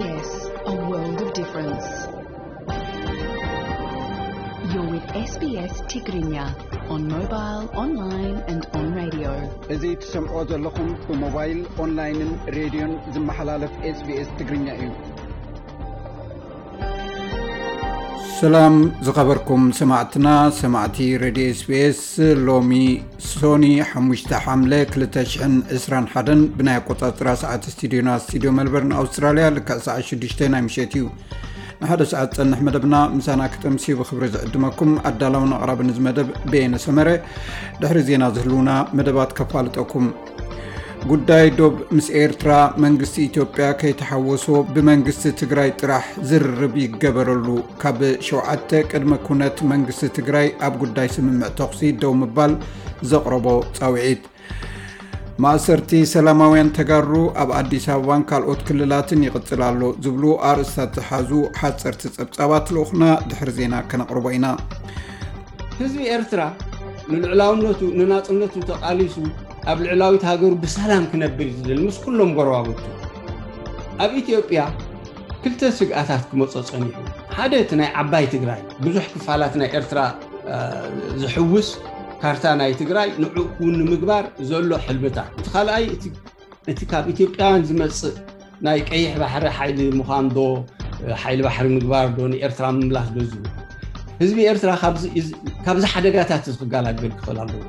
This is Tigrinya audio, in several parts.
Yes, a world of difference. You're with S B S Tigrinya on mobile, online and on radio. እዚ ትሰምዖ ዘለኹም ብሞባይል፣ ኦንላይንን ሬድዮን ዝመሓላለፍ SBS ትግርኛ እዩ። ሰላም ዝኸበርኩም ሰማዕትና፣ ሰማዕቲ ሬድዮ SBS። ሎሚ ሶኒ ሓሙሽተ ሓምለ ክልተ ሽሕን ዕስራን ሓደን ብናይ ኣቆጻጽራ ሰዓት ስቱዲዮና፣ ስቱዲዮ መልበርን ኣውስትራልያ፣ ልክዕ ሰዓት ሽዱሽተ ናይ ምሸት እዩ። ንሓደ ሰዓት ጸንሕ መደብና ምሳና ክተምስዩ ብኽብሪ ዝዕድመኩም ኣዳላውን ኣቕራብን እዚ መደብ በየነ ሰመረ። ድሕሪ ዜና ዝህልውና መደባት ከፋልጠኩም። ጉዳይ ዶብ ምስ ኤርትራ መንግስቲ ኢትዮጵያ ከይተሓወሶ ብመንግስቲ ትግራይ ጥራሕ ዝርርብ ይገበረሉ። ካብ ሸውዓተ ቅድመ ኩነት መንግስቲ ትግራይ ኣብ ጉዳይ ስምምዕ ተኹሲ ደው ምባል ዘቕረቦ ጻውዒት። ማእሰርቲ ሰላማውያን ተጋሩ ኣብ ኣዲስ ኣበባን ካልኦት ክልላትን ይቕጽል ኣሎ ዝብሉ ኣርእስታት ዝሓዙ ሓጸርቲ ጸብጻባት ልኡኽና ድሕሪ ዜና ከነቕርቦ ኢና። ህዝቢ ኤርትራ ንልዕላውነቱ ንናጽነቱ ተቓሊሱ ኣብ ልዕላዊት ሃገሩ ብሰላም ክነብር እዩ ዝደሊ ምስ ኩሎም ጎረባብቱ። ኣብ ኢትዮጵያ ክልተ ስግኣታት ክመጾ ጸኒሑ። ሓደ እቲ ናይ ዓባይ ትግራይ፣ ብዙሕ ክፋላት ናይ ኤርትራ፣ እ፣ ዝሕውስ ካርታ ናይ ትግራይ ንዕኡ ክውን ንምግባር ዘሎ ሕልምታት። እቲ ካልኣይ እቲ፣ እቲ ካብ ኢትዮጵያውያን ዝመጽእ ናይ ቀይሕ ባሕሪ ሓይሊ ምዃን ዶ፣ እ፣ ሓይሊ ባሕሪ ምግባር ዶ፣ ንኤርትራ ምምላስ ዶ ዝብል። ህዝቢ ኤርትራ ካብዚ፣ ካብዚ ሓደጋታት እዚ ክገላገል ክኽእል ኣለዎ።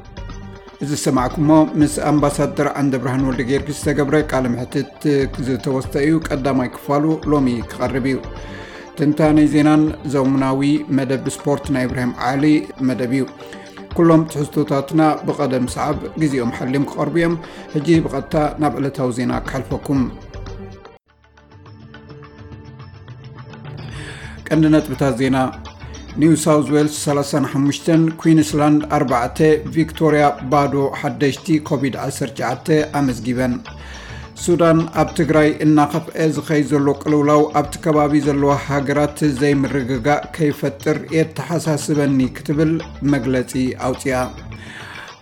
እዚ ዝሰማዕኩሞ ምስ ኣምባሳደር ዓንደብርሃን ወልደጊዮርጊስ ዝተገብረ ቃለ መሕትት ዝተወስደ እዩ። ቀዳማይ ክፋሉ ሎሚ ክቐርብ እዩ። ትንታኔ ዜናን ዘሙናዊ መደብ ስፖርት ናይ ኢብራሂም ዓሊ መደብ እዩ። ኩሎም ትሕዝቶታትና ብቐደም ሰዓብ ግዜኦም ሓልዮም ክቐርቡ እዮም። ሕጂ ብቐጥታ ናብ ዕለታዊ ዜና ክሓልፈኩም። ቀንዲ ነጥብታት ዜና። ኒው ሳውዝ ዌልስ ሰላሳን ሓሙሽተን፣ ኩዊንስላንድ ኣርባዕተ፣ ቪክቶሪያ ባዶ ሓደሽቲ ኮቪድ ዓሰርተ ትሽዓተ ኣመዝጊበን። ሱዳን፣ ኣብ ትግራይ እናኸፍአ ዝኸይ ዘሎ ቅልውላው ኣብቲ ከባቢ ዘለዋ ሃገራት ዘይምርግጋእ ከይፈጥር የተሓሳስበኒ ክትብል መግለጺ ኣውጽኣ።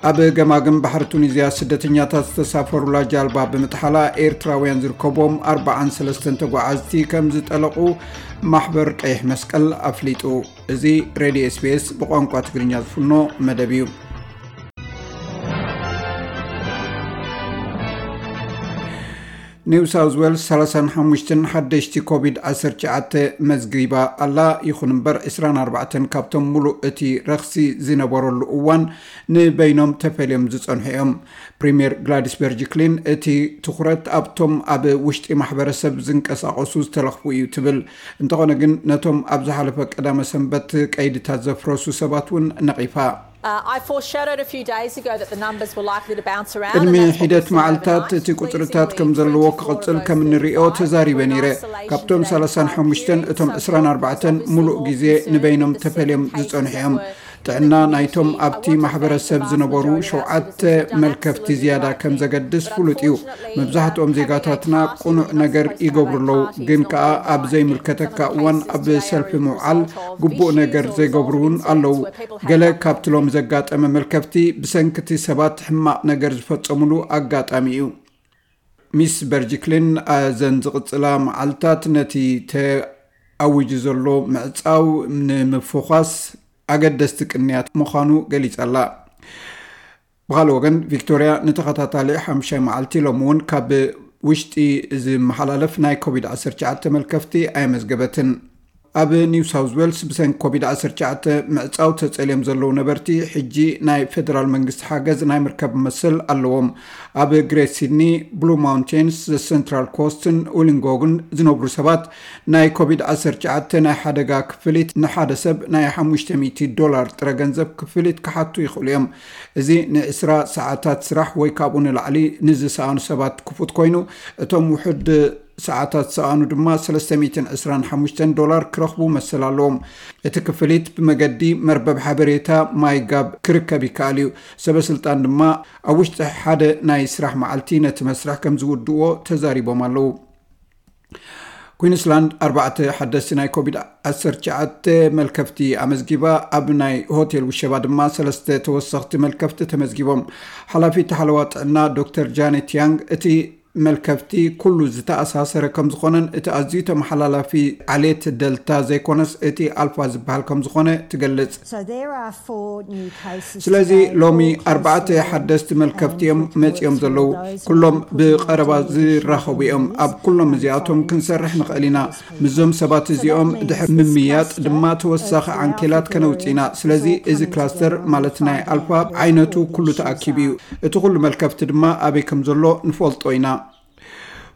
ኣብ ገማግም ባሕሪ ቱኒዝያ ስደተኛታት ዝተሳፈሩላ ጃልባ ብምጥሓላ ኤርትራውያን ዝርከቦም ኣርባዓን ሰለስተን ተጓዓዝቲ ከም ዝጠለቑ ማሕበር ቀይሕ መስቀል ኣፍሊጡ። እዚ ሬድዮ SBS ብቋንቋ ትግርኛ ዝፍኖ መደብ እዩ። ኒው ሳውዝ ዌልስ ሰላሳን ሓሙሽተን ሓደሽቲ ኮቪድ ዓሰርተ ትሽዓተ መዝጊባ ኣላ። ይኹን እምበር ዕስራን ኣርባዕተን ካብቶም ሙሉእ እቲ ረኽሲ ዝነበረሉ እዋን ንበይኖም ተፈልዮም ዝጸንሑ እዮም። ፕሪምየር ግላዲስ በርጅክሊን እቲ ትኹረት ኣብቶም ኣብ ውሽጢ ማሕበረሰብ ዝንቀሳቐሱ ዝተለኽፉ እዩ ትብል። እንተኾነ ግን ነቶም ኣብ ዝሓለፈ ቀዳመ ሰንበት ቀይድታት ዘፍረሱ ሰባት እውን ነቒፋ። Uh, I foreshadowed a few days ago that the numbers were likely to bounce around, ቅድሚ and that's what ሒደት we've seen መዓልታት overnight. እቲ ቁጽርታት ከም ዘለዎ ክቕጽል ከም እንሪኦ ተዛሪበ ነይረ። ካብቶም ሰላሳን ሓሙሽተን እቶም ዕስራን ኣርባዕተን ሙሉእ ግዜ ንበይኖም ተፈልዮም ዝጸንሑ እዮም። ጥዕና ናይቶም ኣብቲ ማሕበረሰብ ዝነበሩ ሸውዓተ መልከፍቲ ዝያዳ ከም ዘገድስ ፍሉጥ እዩ። መብዛሕትኦም ዜጋታትና ቅኑዕ ነገር ይገብሩ ኣለዉ፣ ግን ከኣ ኣብ ዘይምልከተካ እዋን ኣብ ሰልፊ ምውዓል ግቡእ ነገር ዘይገብሩ እውን ኣለዉ። ገለ ካብቲ ሎም ዘጋጠመ መልከፍቲ ብሰንኪ እቲ ሰባት ሕማቕ ነገር ዝፈጸሙሉ ኣጋጣሚ እዩ። ሚስ በርጅክሊን፣ እዘን ዝቕጽላ መዓልታት ነቲ ተኣዊጁ ዘሎ ምዕጻው ንምፍዃስ ኣገደስቲ ቅንያት ምዃኑ ገሊጻ ኣላ። ብኻልእ ወገን፣ ቪክቶርያ ንተኸታታሊ ሓሙሻይ መዓልቲ ሎም እውን ካብ ውሽጢ ዝመሓላለፍ ናይ ኮቪድ ዓሰርተ ትሽዓተ መልከፍቲ ኣየመዝገበትን። ኣብ ኒው ሳውዝ ዌልስ ብሰንኪ ኮቪድ ዓሰርተ ትሽዓተ ምዕጻው ተጸልዮም ዘለዉ ነበርቲ፣ ሕጂ ናይ ፌደራል መንግስቲ ሓገዝ ናይ ምርካብ መሰል ኣለዎም። ኣብ ግሬት ሲድኒ፣ ብሉ ማውንቴንስ፣ ዘ ሰንትራል ኮስትን ውሊንጎግን ዝነብሩ ሰባት፣ ናይ ኮቪድ ዓሰርተ ትሽዓተ ናይ ሓደጋ ክፍሊት ንሓደ ሰብ ናይ ሓሙሽተ ሚእቲ ዶላር ጥረ ገንዘብ ክፍሊት ክሓቱ ይኽእሉ እዮም። እዚ ንዕስራ ሰዓታት ስራሕ ወይ ካብኡ ንላዕሊ ንዝሰኣኑ ሰባት ክፉት ኮይኑ፣ እቶም ውሑድ ሰዓታት ዝሰኣኑ ድማ ሰለስተ ሚእትን ዕስራን ሓሙሽተን ዶላር ክረኽቡ መሰል ኣለዎም። እቲ ክፍሊት ብመገዲ መርበብ ሓበሬታ ማይጋብ ክርከብ ይከኣል እዩ። ሰበ ስልጣን ድማ ኣብ ውሽጢ ሓደ ናይ ስራሕ መዓልቲ ነቲ መስርሕ ከም ዝውድእዎ ተዛሪቦም ኣለዉ። ኩዊንስላንድ ኣርባዕተ ሓደስቲ ናይ ኮቪድ ዓሰርተ ትሽዓተ መልከፍቲ ኣመዝጊባ። ኣብ ናይ ሆቴል ውሸባ ድማ ሰለስተ ተወሰኽቲ መልከፍቲ ተመዝጊቦም። ሓላፊት ሓለዋ ጥዕና ዶክተር ጃኔት ያንግ፣ እቲ መልከፍቲ ኩሉ ዝተኣሳሰረ ከም ዝኾነን እቲ ኣዝዩ ተመሓላላፊ ዓሌት ደልታ ዘይኮነስ እቲ ኣልፋ ዝበሃል ከም ዝኾነ ትገልጽ። So there are four new cases. ስለዚ ሎሚ ኣርባዕተ ሓደስቲ መልከፍቲ እዮም መጺኦም ዘለዉ። ኩሎም ብቐረባ ዝራኸቡ እዮም። ኣብ ኩሎም እዚኣቶም ክንሰርሕ ንኽእል ኢና። ምስዞም ሰባት እዚኦም ድሕሪ ምምያጥ ድማ ተወሳኺ ዓንኬላት ከነውጽእ ኢና። ስለዚ እዚ ክላስተር ማለት ናይ ኣልፋ ዓይነቱ ኩሉ ተኣኪቡ እዩ። እቲ ኩሉ መልከፍቲ ድማ ኣበይ ከም ዘሎ ንፈልጦ ኢና።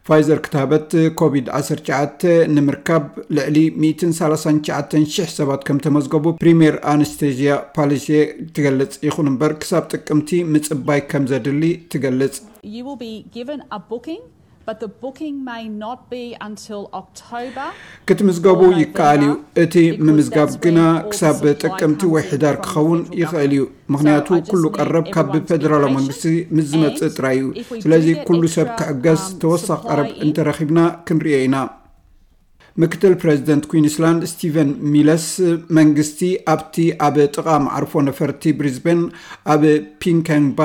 ፋይዘር ክታበት ኮቪድ ዓሰርተ ትሽዓተ ንምርካብ ልዕሊ ሚእትን ሰላሳን ትሽዓተን ሽሕ ሰባት ከም ተመዝገቡ ፕሪምየር ኣነስቴዥያ ፓሊሴ ትገልጽ። ይኹን እምበር ክሳብ ጥቅምቲ ምጽባይ ከም ዘድሊ ትገልጽ። You will be given a booking, but the booking may not be until October. ክትምዝገቡ ይከኣል እዩ። እቲ ምምዝጋብ ግና ክሳብ ጥቅምቲ ወይ ሕዳር ክኸውን ይኽእል እዩ። ምኽንያቱ ኩሉ ቀረብ ካብ ፌደራላዊ መንግስቲ ምስ ዝመጽእ ጥራይ እዩ። ስለዚ ኩሉ ሰብ ክዕገስ ተወሳኺ ቀረብ እንተረኺብና ክንርእዮ ኢና። ምክትል ፕሬዚደንት ኩዊንስላንድ ስቲቨን ሚለስ መንግስቲ ኣብቲ ኣብ ጥቓ መዓርፎ ነፈርቲ ብሪዝበን ኣብ ፒንከንባ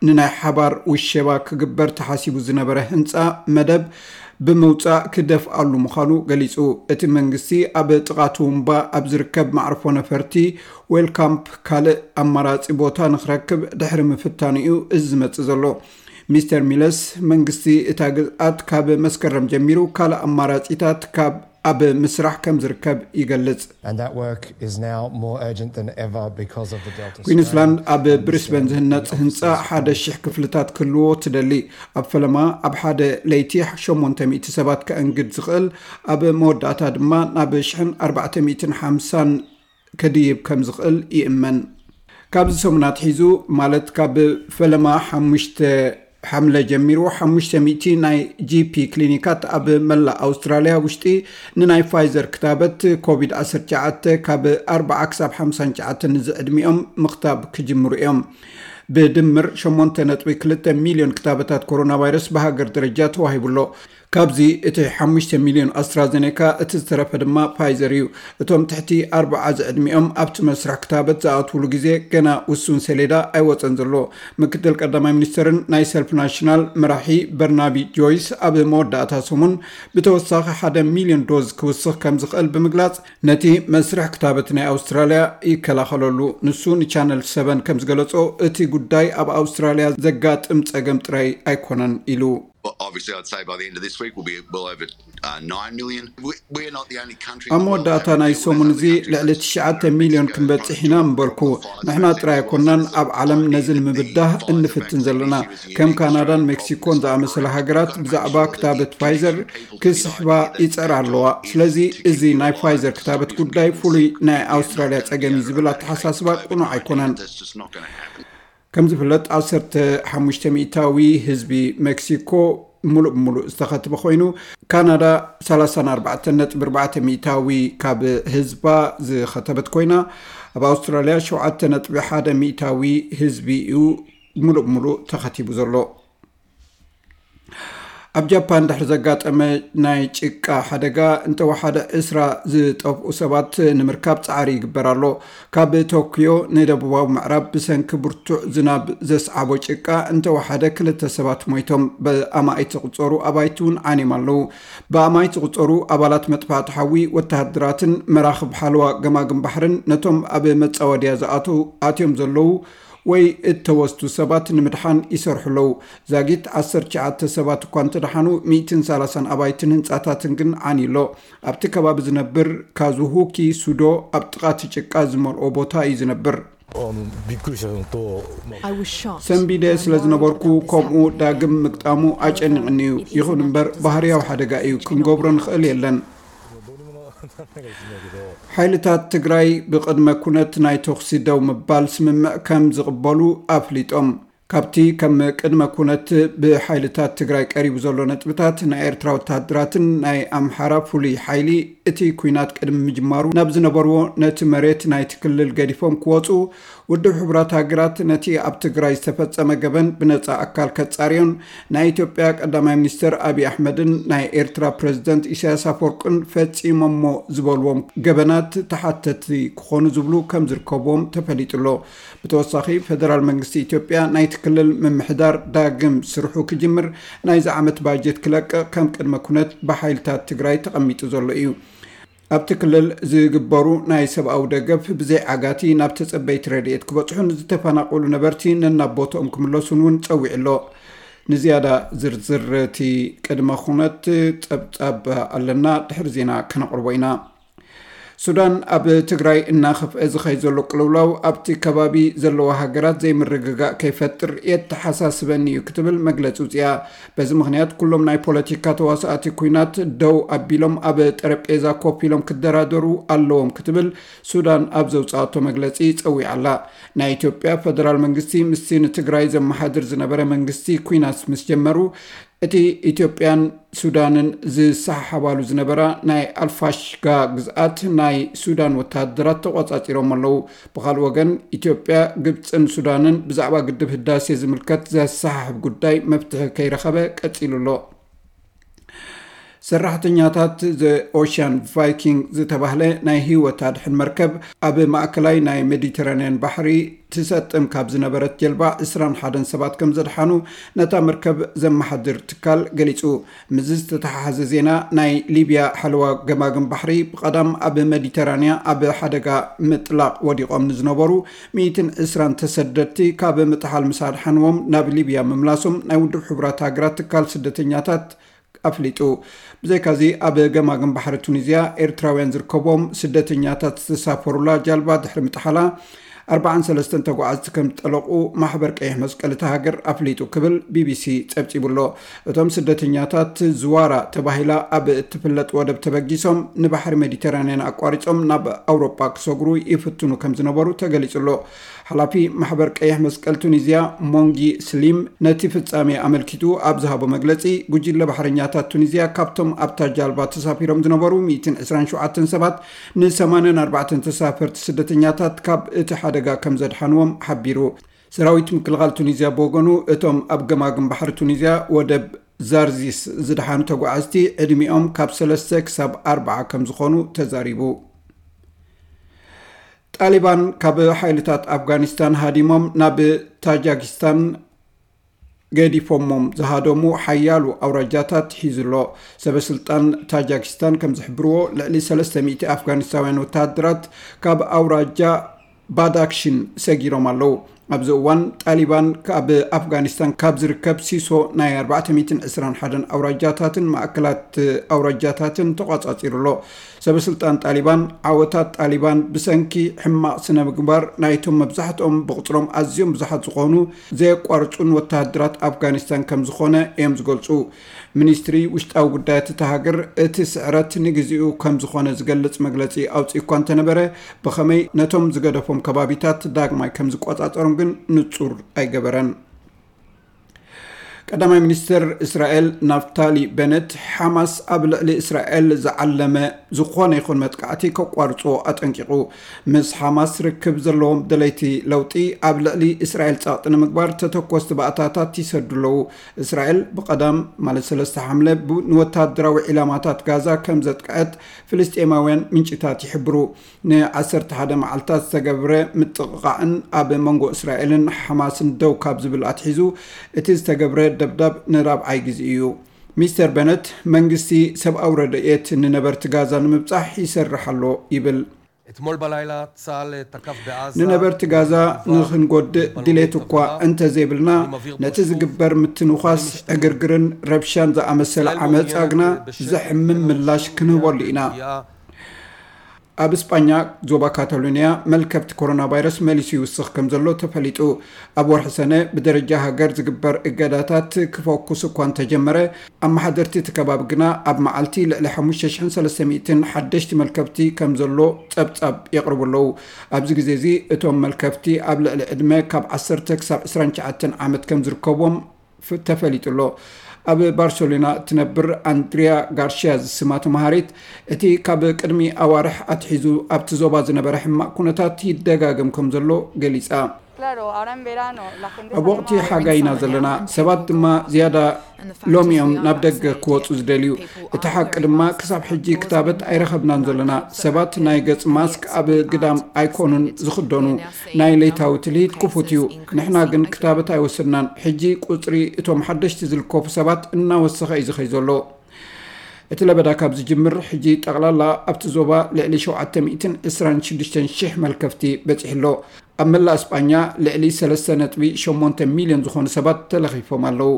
ንናይ ሓባር ውሸባ ክግበር ተሓሲቡ ዝነበረ ህንፃ መደብ ብምውፃእ ክደፍኣሉ ምዃኑ ገሊፁ። እቲ መንግስቲ ኣብ ጥቓ ትውንባ ኣብ ዝርከብ መዕርፎ ነፈርቲ ዌልካምፕ ካልእ ኣማራፂ ቦታ ንክረክብ ድሕሪ ምፍታኑ እዩ እዚ ዝመፅእ ዘሎ። ሚስተር ሚለስ መንግስቲ እታ ግዝኣት ካብ መስከረም ጀሚሩ ካልእ ኣማራፂታት ካብ ኣብ ምስራሕ ከም ዝርከብ ይገልጽ። And that work is now more urgent than ever because of the Delta strain. ኩዊንስላንድ ኣብ ብሪስበን ዝህነጽ ህንጻ ሓደ ሽሕ ክፍልታት ክህልዎ ትደሊ። ኣብ ፈለማ ኣብ ሓደ ለይቲ ሸሞንተ ሚእቲ ሰባት ከእንግድ ዝኽእል፣ ኣብ መወዳእታ ድማ ናብ ሽሕን ኣርባዕተ ሚእትን ሓምሳን ከድይብ ከም ዝኽእል ይእመን። ካብዚ ሰሙን ኣትሒዙ፣ ማለት ካብ ፈለማ ሓሙሽተ ሓምለ ጀሚሩ ሓሙሽተ ሚእቲ ናይ ጂፒ ክሊኒካት ኣብ መላእ ኣውስትራልያ ውሽጢ ንናይ ፋይዘር ክታበት ኮቪድ ዓሰርተ ትሽዓተ ካብ ኣርብዓ ክሳብ ሓምሳ ትሽዓተ ንዝዕድሚኦም ምኽታብ ክጅምሩ እዮም። ብድምር ሸሞንተ ነጥቢ ክልተ ሚልዮን ክታበታት ኮሮና ቫይረስ ብሃገር ደረጃ ተዋሂቡ ኣሎ። ካብዚ እቲ ሓሙሽተ ሚልዮን ኣስትራዘኔካ፣ እቲ ዝተረፈ ድማ ፋይዘር እዩ። እቶም ትሕቲ ኣርብዓ ዝዕድሚኦም ኣብቲ መስርሕ ክታበት ዝኣትውሉ ግዜ ገና ውሱን ሰሌዳ ኣይወጸን ዘሎ። ምክትል ቀዳማይ ሚኒስተርን ናይ ሰልፍ ናሽናል መራሒ በርናቢ ጆይስ ኣብ መወዳእታ ሰሙን ብተወሳኺ ሓደ ሚልዮን ዶዝ ክውስኽ ከም ዝኽእል ብምግላጽ፣ ነቲ መስርሕ ክታበት ናይ ኣውስትራልያ ይከላኸለሉ። ንሱ ንቻነል ሰቨን ከም ዝገለጾ፣ እቲ ጉዳይ ኣብ ኣውስትራልያ ዘጋጥም ጸገም ጥራይ ኣይኮነን ኢሉ። Obviously, I'd say by the end of this week, we'll be well over uh, nine million. We, we're not the only country. ኣብ መወዳእታ ናይ ሰሙን እዚ ልዕሊ ትሽዓተ ሚልዮን ክንበጽሕ ኢና ምበልኩ። ንሕና ጥራይ ኣይኮናን ኣብ ዓለም ነዚ ንምብዳህ እንፍትን ዘለና። ከም ካናዳን ሜክሲኮን ዝኣመሰላ ሃገራት ብዛዕባ ክታበት ፋይዘር ክስሕባ ይጸራ ኣለዋ። ስለዚ እዚ ናይ ፋይዘር ክታበት ጉዳይ ፍሉይ ናይ ኣውስትራልያ ጸገም እዩ ዝብል ኣተሓሳስባ ቅኑዕ ኣይኮነን። ከም ዝፍለጥ ዓሰርተ ሓሙሽተ ሚእታዊ ህዝቢ ሜክሲኮ ሙሉእ ብሙሉእ ዝተኸትበ ኮይኑ፣ ካናዳ ሰላሳን ኣርባዕተን ነጥቢ ኣርባዕተ ሚእታዊ ካብ ህዝባ ዝኸተበት ኮይና፣ ኣብ ኣውስትራልያ ሸውዓተ ነጥቢ ሓደ ሚእታዊ ህዝቢ እዩ ሙሉእ ብሙሉእ ተኸቲቡ ዘሎ። ኣብ ጃፓን ድሕሪ ዘጋጠመ ናይ ጭቃ ሓደጋ እንተወሓደ ዕስራ ዝጠፍኡ ሰባት ንምርካብ ጻዕሪ ይግበር ኣሎ። ካብ ቶክዮ ንደቡባዊ ምዕራብ ብሰንኪ ብርቱዕ ዝናብ ዘስዓቦ ጭቃ እንተወሓደ ክልተ ሰባት ሞይቶም። ብኣማኢት ዝቑጸሩ ኣባይቲ እውን ዓንዮም ኣለዉ። ብኣማኢት ዝቑጸሩ ኣባላት መጥፋእቲ ሓዊ፣ ወተሃደራትን መራኽብ ሓለዋ ገማግም ባሕርን ነቶም ኣብ መጻወድያ ዝኣትዉ ኣትዮም ዘለዉ ወይ እተወስዱ ሰባት ንምድሓን ይሰርሑ ኣለዉ። ዛጊት ዓሰርተ ትሽዓተ ሰባት እኳ እንተደሓኑ፣ ሚእትን ሰላሳን ኣባይትን ህንጻታትን ግን ዓንዩ ኣሎ። ኣብቲ ከባቢ ዝነብር ካዙሁኪ ሱዶ ኣብ ጥቓ እቲ ጭቃ ዝመልኦ ቦታ እዩ ዝነብር። あのびっくりしたのと、まあ I was shocked. ሰንቢደ ስለ ዝነበርኩ ከምኡ ዳግም ምግጣሙ ኣጨኒቕኒ እዩ። ይኹን እምበር ባህርያዊ ሓደጋ እዩ፣ ክንገብሮ ንኽእል የለን። ሓይልታት ትግራይ ብቕድመ ኩነት ናይ ተኹሲ ደው ምባል ስምምዕ ከም ዝቕበሉ ኣፍሊጦም። ካብቲ ከም ቅድመ ኩነት ብሓይልታት ትግራይ ቀሪቡ ዘሎ ነጥብታት፣ ናይ ኤርትራ ወተሃደራትን ናይ ኣምሓራ ፍሉይ ሓይሊ እቲ ኲናት ቅድሚ ምጅማሩ ናብ ዝነበርዎ ነቲ መሬት ናይቲ ክልል ገዲፎም ክወፁ ውድብ ሕቡራት ሃገራት ነቲ ኣብ ትግራይ ዝተፈጸመ ገበን ብነጻ ኣካል ከጻርዮን ናይ ኢትዮጵያ ቀዳማይ ሚኒስትር ኣብይ ኣሕመድን ናይ ኤርትራ ፕሬዝደንት ኢሳያስ ኣፈወርቅን ፈጺሞሞ ዝበልዎም ገበናት ተሓተቲ ክኾኑ ዝብሉ ከም ዝርከብዎም ተፈሊጡ ኣሎ። ብተወሳኺ፣ ፈደራል መንግስቲ ኢትዮጵያ ናይቲ ክልል ምምሕዳር ዳግም ስርሑ ክጅምር፣ ናይዚ ዓመት ባጀት ክለቅቕ ከም ቅድመ ኩነት ብሓይልታት ትግራይ ተቐሚጡ ዘሎ እዩ። ኣብቲ ክልል ዝግበሩ ናይ ሰብኣዊ ደገፍ ብዘይ ዓጋቲ ናብ ተጸበይቲ ረድኤት ክበጽሑን ዝተፈናቀሉ ነበርቲ ነናብ ቦትኦም ክምለሱን እውን ጸዊዑ ኣሎ። ንዝያዳ ዝርዝር እቲ ቅድመ ኩነት ጸብጻብ ኣለና፣ ድሕሪ ዜና ከነቕርቦ ኢና። ሱዳን፣ ኣብ ትግራይ እናኸፍአ ዝኸይ ዘሎ ቅልውላው ኣብቲ ከባቢ ዘለዋ ሃገራት ዘይምርግጋእ ከይፈጥር የተሓሳስበኒ እዩ ክትብል መግለጺ ውፅያ። በዚ ምኽንያት ኩሎም ናይ ፖለቲካ ተዋሳእቲ ኩናት ደው ኣቢሎም ኣብ ጠረጴዛ ኮፍ ኢሎም ክደራደሩ ኣለዎም ክትብል ሱዳን ኣብ ዘውፅኣቶ መግለጺ ጸዊዓ ኣላ። ናይ ኢትዮጵያ ፈደራል መንግስቲ ምስቲ ንትግራይ ዘመሓድር ዝነበረ መንግስቲ ኩናት ምስ ጀመሩ፣ እቲ ኢትዮጵያን ሱዳንን ዝሰሓሓባሉ ዝነበራ ናይ ኣልፋሽጋ ግዝኣት ናይ ሱዳን ወተሃደራት ተቖጻጺሮም ኣለዉ። ብኻልእ ወገን፣ ኢትዮጵያ፣ ግብጽን ሱዳንን ብዛዕባ ግድብ ህዳሴ ዝምልከት ዘሰሓሕብ ጉዳይ መፍትሒ ከይረኸበ ቀጺሉ ኣሎ። ሰራሕተኛታት ዘ ኦሽያን ቫይኪንግ ዝተባህለ ናይ ህይወት ኣድሕን መርከብ ኣብ ማእከላይ ናይ ሜዲተራንያን ባሕሪ ትሰጥም ካብ ዝነበረት ጀልባ ዕስራን ሓደን ሰባት ከም ዘድሓኑ ነታ መርከብ ዘመሓድር ትካል ገሊጹ። ምስዚ ዝተተሓሓዘ ዜና፣ ናይ ሊብያ ሓለዋ ገማግም ባሕሪ ብቐዳም ኣብ ሜዲተራንያ ኣብ ሓደጋ ምጥላቕ ወዲቖም ንዝነበሩ ሚእትን ዕስራን ተሰደድቲ ካብ ምጥሓል ምስ ኣድሓንዎም ናብ ሊብያ ምምላሶም ናይ ውድብ ሕቡራት ሃገራት ትካል ስደተኛታት ኣፍሊጡ። ብዘይካዚ፣ ኣብ ገማግም ባሕሪ ቱኒዝያ ኤርትራውያን ዝርከቦም ስደተኛታት ዝተሳፈሩላ ጃልባ ድሕሪ ምጥሓላ፣ ኣርባዓን ሰለስተን ተጓዓዝቲ ከም ዝጠለቑ ማሕበር ቀይሕ መስቀል እታ ሃገር ኣፍሊጡ ክብል ቢቢሲ ጸብጺቡ ኣሎ። እቶም ስደተኛታት ዝዋራ ተባሂላ ኣብ እትፍለጥ ወደብ ተበጊሶም ንባሕሪ ሜዲተራንያን ኣቋሪጾም ናብ ኣውሮጳ ክሰግሩ ይፍትኑ ከም ዝነበሩ ተገሊጹ ኣሎ። ሓላፊ ማሕበር ቀይሕ መስቀል ቱኒዝያ ሞንጊ ስሊም ነቲ ፍጻሜ ኣመልኪቱ ኣብ ዝሃቦ መግለጺ፣ ጉጅለ ባሕረኛታት ቱኒዝያ ካብቶም ኣብታ ጃልባ ተሳፊሮም ዝነበሩ ሚእትን ዕስራን ሸውዓተን ሰባት፣ ን ሰማንያን ኣርባዕተን ተሳፈርቲ ስደተኛታት ካብ እቲ ሓደጋ ከም ዘድሓንዎም ሓቢሩ። ሰራዊት ምክልኻል ቱኒዝያ ብወገኑ፣ እቶም ኣብ ገማግም ባሕሪ ቱኒዝያ ወደብ ዛርዚስ ዝደሓኑ ተጓዓዝቲ ዕድሚኦም ካብ ሰለስተ ክሳብ ኣርባዓ ከም ዝኾኑ ተዛሪቡ። ጣሊባን ካብ ሓይልታት ኣፍጋኒስታን ሃዲሞም ናብ ታጃኪስታን ገዲፎሞም ዝሃደሙ ሓያሎ ኣውራጃታት ሒዙ ኣሎ። ሰበ ስልጣን ታጃኪስታን ከም ዝሕብርዎ፣ ልዕሊ ሰለስተ ሚእቲ ኣፍጋኒስታውያን ወተሃደራት ካብ ኣውራጃ ባዳክሽን ሰጊሮም ኣለዉ። ኣብዚ እዋን፣ ጣሊባን ካብ ኣፍጋኒስታን ካብ ዝርከብ ሲሶ ናይ ኣርባዕተ ሚእትን ዕስራን ሓደን ኣውራጃታትን ማእከላት ኣውራጃታትን ተቋጻጺሩ ኣሎ። ሰበ ስልጣን ጣሊባን፣ ዓወታት ጣሊባን ብሰንኪ ሕማቕ ስነ ምግባር ናይቶም መብዛሕትኦም ብቕጽሮም ኣዝዮም ብዙሓት ዝኾኑ ዘየቋርጹን ወተሃደራት ኣፍጋኒስታን ከም ዝኾነ እዮም ዝገልጹ። ሚኒስትሪ ውሽጣዊ ጉዳያት እታ ሃገር፣ እቲ ስዕረት ንግዚኡ ከም ዝኾነ ዝገልጽ መግለጺ ኣውጺኡ እኳ እንተነበረ፣ ብኸመይ ነቶም ዝገደፎም ከባቢታት ዳግማይ ከም ዝቆጻጸሮም ግን ንጹር ኣይገበረን። ቀዳማይ ሚኒስትር እስራኤል ናፍታሊ በነት፣ ሓማስ ኣብ ልዕሊ እስራኤል ዝዓለመ ዝኾነ ይኹን መጥቃዕቲ ከቋርጽዎ ኣጠንቂቑ። ምስ ሓማስ ርክብ ዘለዎም ደለይቲ ለውጢ፣ ኣብ ልዕሊ እስራኤል ጸቕጢ ንምግባር ተተኮስቲ ባእታታት ይሰዱ ኣለዉ። እስራኤል ብቐዳም፣ ማለት ሰለስተ ሓምለ፣ ብ-፣ ንወተሃደራዊ ዒላማታት ጋዛ ከም ዘጥቅዐት ፍልስጤማውያን ምንጭታት ይሕብሩ። ን ዓሰርተ ሓደ መዓልታት ዝተገብረ ምጥቕቓዕን ኣብ መንጎ እስራኤልን ሓማስን ደው ካብ ዝብል ኣትሒዙ፣ እቲ ዝተገብረ ደብዳብ ንራብዓይ ግዜ እዩ። ሚስተር በነት፣ መንግስቲ ሰብኣዊ ረድኤት ንነበርቲ ጋዛ ንምብጻሕ ይሰርሕ ኣሎ ይብል። אתמול בלילה צה"ל תקף בעזה ንነበርቲ ጋዛ ንኽንጎድእ ድሌት እኳ እንተዘይብልና፣ ነቲ ዝግበር ምትንዃስ ዕግርግርን ረብሻን ዝኣመሰለ ዓመጻ ግና ዘሕምም ምላሽ ክንህበሉ ኢና። ኣብ እስጳኛ ዞባ ካታሎንያ መልከፍቲ ኮሮና ቫይረስ መሊሱ ይውስኽ ከም ዘሎ ተፈሊጡ። ኣብ ወርሒ ሰነ ብደረጃ ሃገር ዝግበር እገዳታት ክፈኩስ እኳ እንተጀመረ፣ ኣመሓደርቲ እቲ ከባቢ ግና ኣብ መዓልቲ ልዕሊ ሓሙሽተ ሽሕን ሰለስተ ሚእትን ሓደሽቲ መልከፍቲ ከም ዘሎ ጸብጻብ የቕርቡ ኣለዉ። ኣብዚ ግዜ እዚ እቶም መልከፍቲ ኣብ ልዕሊ ዕድመ ካብ ዓሰርተ ክሳብ ዕስራን ትሽዓተን ዓመት ከም ዝርከቦም ፍ-፣ ተፈሊጡ ኣሎ። ኣብ ባርሰሎና እትነብር ኣንድሪያ ጋርሽያ ዝስማ ተምሃሪት፣ እቲ ካብ ቅድሚ ኣዋርሕ ኣትሒዙ ኣብቲ ዞባ ዝነበረ ሕማቕ ኩነታት ይደጋገም ከም ዘሎ ገሊጻ። ኣብ ወቕቲ ሓጋይ ኢና ዘለና፣ ሰባት ድማ ዝያዳ ሎሚ እዮም ናብ ደገ ክወጹ ዝደልዩ። እቲ ሓቂ ድማ ክሳብ ሕጂ ክታበት ኣይረኸብናን ዘለና። ሰባት ናይ ገጽ ማስክ ኣብ ግዳም ኣይኮኑን ዝኽደኑ። ናይ ለይታዊ ትልሂት ክፉት እዩ። ንሕና ግን ክታበት ኣይወሰድናን። ሕጂ ቁጽሪ እቶም ሓደሽቲ ዝልከፉ ሰባት እናወሰኸ እዩ ዝኸይ ዘሎ። እቲ ለበዳ ካብ ዝጅምር ሕጂ ጠቕላላ ኣብቲ ዞባ ልዕሊ ሸውዓተ ሚእትን ዕስራን ሽዱሽተን ሽሕ መልከፍቲ በጺሑ ኣሎ። ኣብ መላእ እስጳኛ ልዕሊ ሰለስተ ነጥቢ ሸሞንተ ሚልዮን ዝኾኑ ሰባት ተለኺፎም ኣለዉ።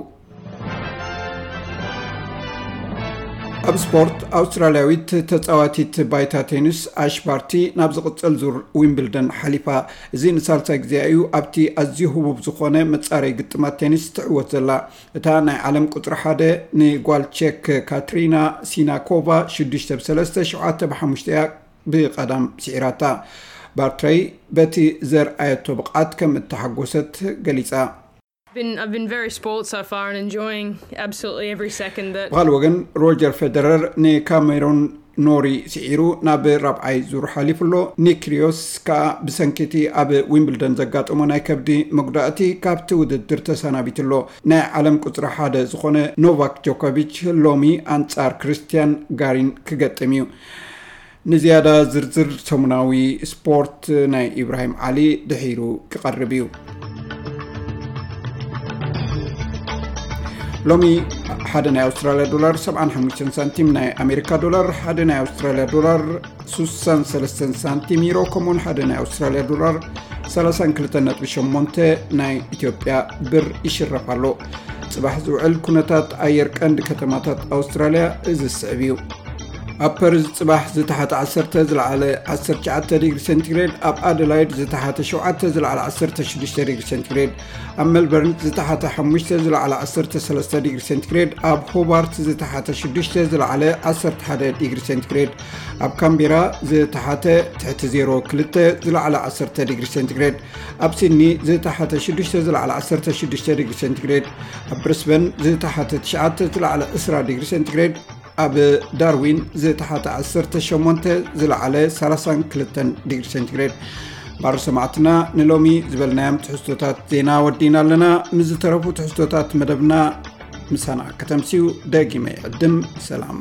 ኣብ ስፖርት፣ ኣውስትራልያዊት ተጻዋቲት ባይታ ቴኒስ ኣሽ ባርቲ ናብ ዝቕጽል ዙር ዊምብልደን ሓሊፋ። እዚ ንሳልሳይ ግዜኣ እዩ ኣብቲ ኣዝዩ ህቡብ ዝኾነ መጻረይ ግጥማት ቴኒስ ትዕወት ዘላ። እታ ናይ ዓለም ቁጽሪ ሓደ ንጓል ቼክ ካትሪና ሲናኮቫ ሽዱሽተ ብ ሰለስተ፣ ሸውዓተ ብ ሓሙሽተ እያ ብቐዳም ስዒራታ። ባርትረይ በቲ ዘርኣየቶ ብቕዓት ከም እተሓጎሰት ገሊጻ። Been, I've been very spoiled so far and enjoying absolutely every second that ብኻልእ ወገን፣ ሮጀር ፌደረር ንካሜሮን ኖሪ ስዒሩ ናብ ራብዓይ ዙር ሓሊፉ ኣሎ። ኒክ ኪሪዮስ ከኣ ብሰንኪ እቲ ኣብ ዊምብልደን ዘጋጠሞ ናይ ከብዲ መጉዳእቲ ካብቲ ውድድር ተሰናቢቱ ኣሎ። ናይ ዓለም ቁጽሪ ሓደ ዝኾነ ኖቫክ ጆኮቪች ሎሚ ኣንጻር ክርስቲያን ጋሪን ክገጥም እዩ። ንዝያዳ ዝርዝር ሰሙናዊ ስፖርት ናይ ኢብራሂም ዓሊ ድሒሩ ክቐርብ እዩ። ሎሚ ሓደ ናይ ኣውስትራልያ ዶላር ሰብዓን ሓሙሽተን ሳንቲም፣ ናይ ኣሜሪካ ዶላር ሓደ ናይ ኣውስትራልያ ዶላር ስሳን ሰለስተን ሳንቲም፣ ዩሮ ከምኡውን ሓደ ናይ ኣውስትራልያ ዶላር ሰላሳን ክልተን ነጥቢ ሸሞንተ ናይ ኢትዮጵያ ብር ይሽረፍ ኣሎ። ጽባሕ ዝውዕል ኩነታት ኣየር ቀንዲ ከተማታት ኣውስትራልያ እዚ ዝስዕብ እዩ። ኣብ ፐርዝ ጽባሕ ዝተሓተ ዓሰርተ ዝለዓለ ዓሰርተ ትሽዓተ ዲግሪ ሴንቲግሬድ፣ ኣብ ኣደላይድ ዝተሓተ ሸውዓተ ዝለዓለ ዓሰርተ ሽዱሽተ ዲግሪ ሴንቲግሬድ፣ ኣብ ሜልበርን ዝተሓተ ሓሙሽተ ዝለዓለ ዓሰርተ ሰለስተ ዲግሪ ሴንቲግሬድ፣ ኣብ ሆባርት ዝተሓተ ሽዱሽተ ዝለዓለ ዓሰርተ ሓደ ዲግሪ ሴንቲግሬድ፣ ኣብ ካምቤራ ዝተሓተ ትሕቲ ዜሮ ክልተ ዝለዓለ ዓሰርተ ዲግሪ ሴንቲግሬድ፣ ኣብ ሲድኒ ዝተሓተ ሽዱሽተ ዝለዓለ ዓሰርተ ሽዱሽተ ዲግሪ ሴንቲግሬድ፣ ኣብ ብሪስበን ዝተሓተ ትሽዓተ ዝለዓለ ዕስራ ዲግሪ ሴንቲግሬድ፣ ኣብ ዳርዊን ዝተሓተ ዓሰርተ ሸሞንተ ዝለዓለ ሰላሳን ክልተን ዲግሪ ሴንቲግሬድ። ባር ሰማዕትና፣ ንሎሚ ዝበልናዮም ትሕዝቶታት ዜና ወዲና ኣለና። ምስ ዝተረፉ ትሕዝቶታት መደብና ምሳና ከተምስዩ ደጊመ ይዕድም። ሰላም።